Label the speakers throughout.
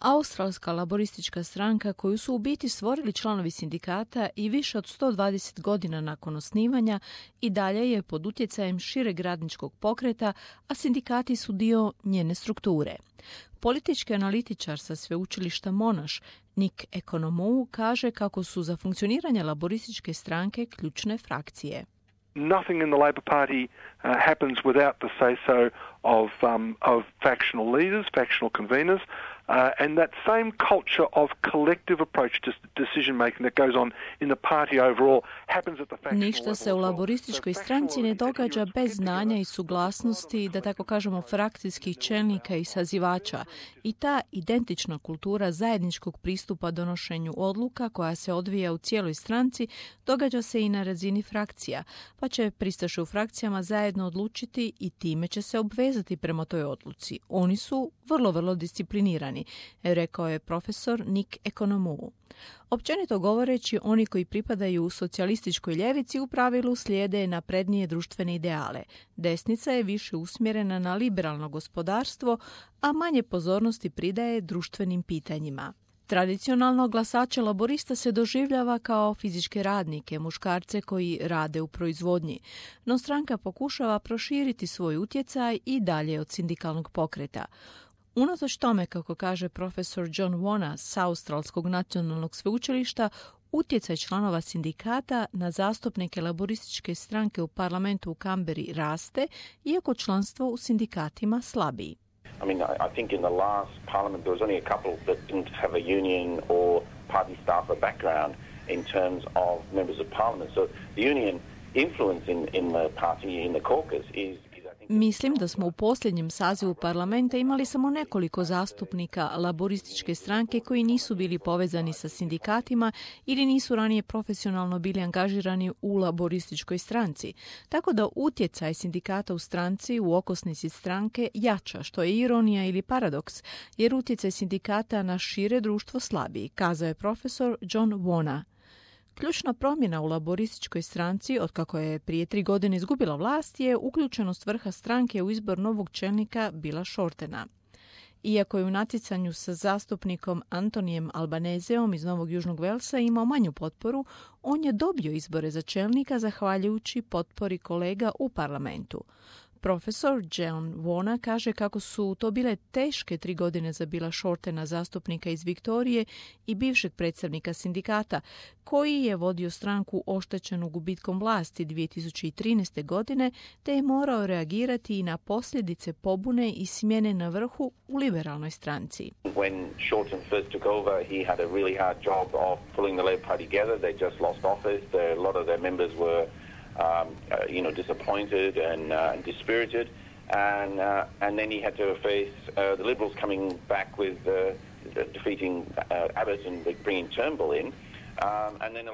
Speaker 1: Australska laboristička stranka, koju su u biti stvorili članovi sindikata i više od 120 godina nakon osnivanja, i dalje je pod utjecajem šireg radničkog pokreta, a sindikati su dio njene strukture. Politički analitičar sa sveučilišta Monash, Nick Economou, kaže kako su za funkcioniranje laborističke stranke ključne frakcije.
Speaker 2: Nothing in the Labor Party happens without the say-so of factional leaders, factional conveners, and that same culture of collective approach to decision making that goes on in the party overall happens at the factional level.
Speaker 1: Ništa se u laborističkoj stranci ne događa bez znanja i suglasnosti, da tako kažemo, frakcijskih čelnika i sazivača. I ta identična kultura zajedničkog pristupa donošenju odluka koja se odvija u cijeloj stranci događa se i na razini frakcija, pa će pristaše u frakcijama zajedno odlučiti i time će se obvezati prema toj odluci. Oni su vrlo disciplinirani, rekao je profesor Nick Economou. Općenito govoreći, oni koji pripadaju u socijalističkoj ljevici u pravilu slijede naprednije društvene ideale. Desnica je više usmjerena na liberalno gospodarstvo, a manje pozornosti pridaje društvenim pitanjima. Tradicionalno glasače laborista se doživljava kao fizičke radnike, muškarce koji rade u proizvodnji, no stranka pokušava proširiti svoj utjecaj i dalje od sindikalnog pokreta. Unatoč tome, kako kaže profesor John Wona s Australskog nacionalnog sveučilišta, utjecaj članova sindikata na zastupnike laborističke stranke u parlamentu u Canberri raste, iako članstvo u sindikatima slabiji.
Speaker 3: I mean, I think in the last parliament there was only a couple that didn't have a union or party staffer background in terms of members of parliament. So the union influence in the party, in the caucus is
Speaker 1: Mislim da smo u posljednjem sazivu parlamenta imali samo nekoliko zastupnika laborističke stranke koji nisu bili povezani sa sindikatima ili nisu ranije profesionalno bili angažirani u laborističkoj stranci. Tako da utjecaj sindikata u stranci u okosnici stranke jača, što je ironija ili paradoks, jer utjecaj sindikata na šire društvo slabiji, kazao je profesor John Wona. Ključna promjena u laborističkoj stranci, otkako je prije 3 godine izgubila vlast, je uključenost vrha stranke u izbor novog čelnika Billa Shortena. Iako je u natjecanju sa zastupnikom Antonijem Albanezeom iz Novog Južnog Velsa imao manju potporu, on je dobio izbore za čelnika zahvaljujući potpori kolega u parlamentu. Profesor John Wona kaže kako su to bile teške 3 godine za Billa Shortena, zastupnika iz Viktorije i bivšeg predstavnika sindikata, koji je vodio stranku oštećenu gubitkom vlasti 2013. godine, te je morao reagirati i na posljedice pobune i smjene na vrhu u liberalnoj stranci.
Speaker 3: When Shorten first took over, he had a really hard job of pulling the Labor Party together. They just lost office. A lot of their members were disappointed and dispirited, and then he had to face the Liberals coming back with defeating Abbott and bringing Turnbull in.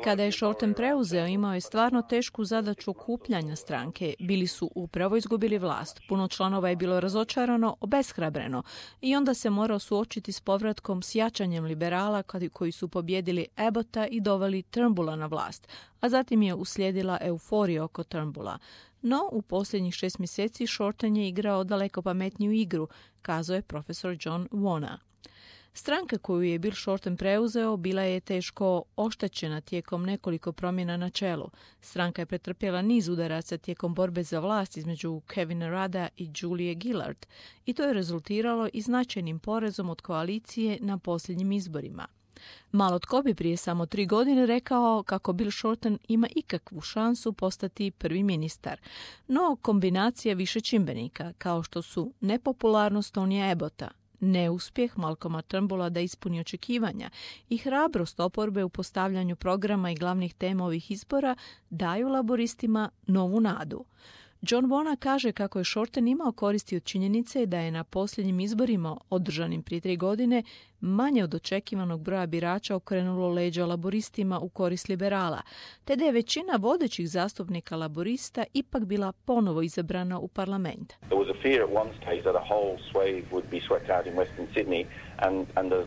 Speaker 1: Kada je Shorten preuzeo, imao je stvarno tešku zadaću okupljanja stranke. Bili su upravo izgubili vlast. Puno članova je bilo razočarano, obeshrabreno i onda se morao suočiti s povratkom s jačanjem liberala koji su pobjedili Abbotta i doveli Turnbulla na vlast, a zatim je uslijedila euforija oko Turnbulla. No, u posljednjih 6 mjeseci Shorten je igrao daleko pametniju igru, kazao je profesor John Wona. Stranka koju je Bill Shorten preuzeo bila je teško oštećena tijekom nekoliko promjena na čelu. Stranka je pretrpjela niz udaraca tijekom borbe za vlast između Kevina Rudda i Julie Gillard i to je rezultiralo i značajnim porezom od koalicije na posljednjim izborima. Malo tko bi prije samo 3 godine rekao kako Bill Shorten ima ikakvu šansu postati prvi ministar. No, kombinacija više čimbenika, kao što su nepopularnost Tonya Abbotta, neuspjeh Malcolma Turnbulla da ispuni očekivanja i hrabrost oporbe u postavljanju programa i glavnih tema ovih izbora daju laboristima novu nadu. John Wona kaže kako je Shorten imao koristi od činjenice da je na posljednjim izborima, održanim prije 3 godine, manje od očekivanog broja birača okrenulo leđa laboristima u korist liberala, te da je većina vodećih zastupnika laborista ipak bila ponovo izabrana u parlament.
Speaker 3: There was a fear at one stage that a whole swathe would be swept out in Western Sydney and the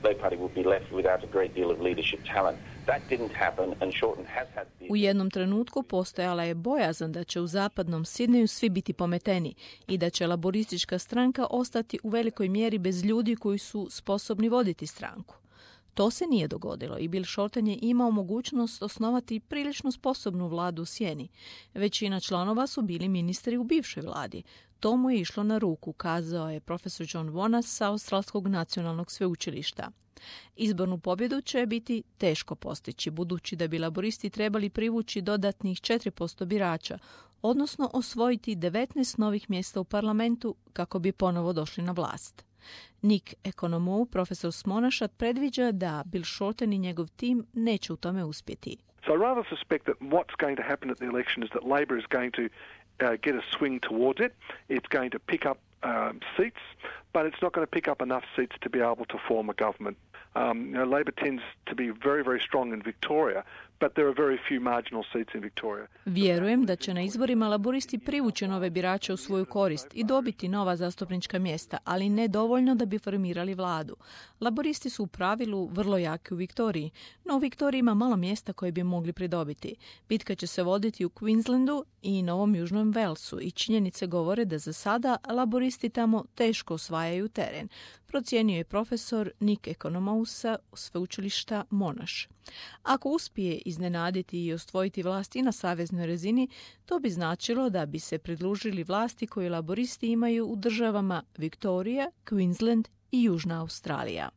Speaker 3: Labour Party would be left without a great deal of leadership talent. That didn't happen and Shorten has had the...
Speaker 1: U jednom trenutku postojala je bojazan da će u zapadnom Sidneju svi biti pometeni i da će laboristička stranka ostati u velikoj mjeri bez ljudi koji su sposobni voditi stranku. To se nije dogodilo i Bill Shorten je imao mogućnost osnovati prilično sposobnu vladu u sjeni. Većina članova su bili ministri u bivšoj vladi. To mu je išlo na ruku, kazao je profesor John Wonas sa Australskog nacionalnog sveučilišta. Izbornu pobjedu će biti teško postići, budući da bi laboristi trebali privući dodatnih 4% birača, odnosno osvojiti 19 novih mjesta u parlamentu kako bi ponovo došli na vlast. Nick Economou, profesor s Monashat, predviđa da Bill Shorten i njegov tim neće u tome uspjeti.
Speaker 2: So I rather suspect that what's going to happen at the election is that Labor is going to get a swing towards it. It's going to pick up seats, but it's not going to pick up enough seats to be able to form a government. Labor tends to be very, very strong in Victoria, but there are very few marginal seats in Victoria.
Speaker 1: Vjerujem da će na izborima laboristi privući nove birače u svoju korist i dobiti nova zastupnička mjesta, ali ne dovoljno da bi formirali vladu. Laboristi su u pravilu vrlo jaki u Viktoriji, no u Viktoriji ima malo mjesta koje bi mogli pridobiti. Bitka će se voditi u Queenslandu i Novom Južnom Walesu i činjenice govore da za sada laboristi tamo teško osvajaju teren, procijenio je profesor Nick Economou sa sveučilišta Monash. Ako uspije iznenaditi i osvojiti vlast i na saveznoj razini, to bi značilo da bi se pridružili vlasti koje laboristi imaju u državama Viktorija, Queensland i Južna Australija.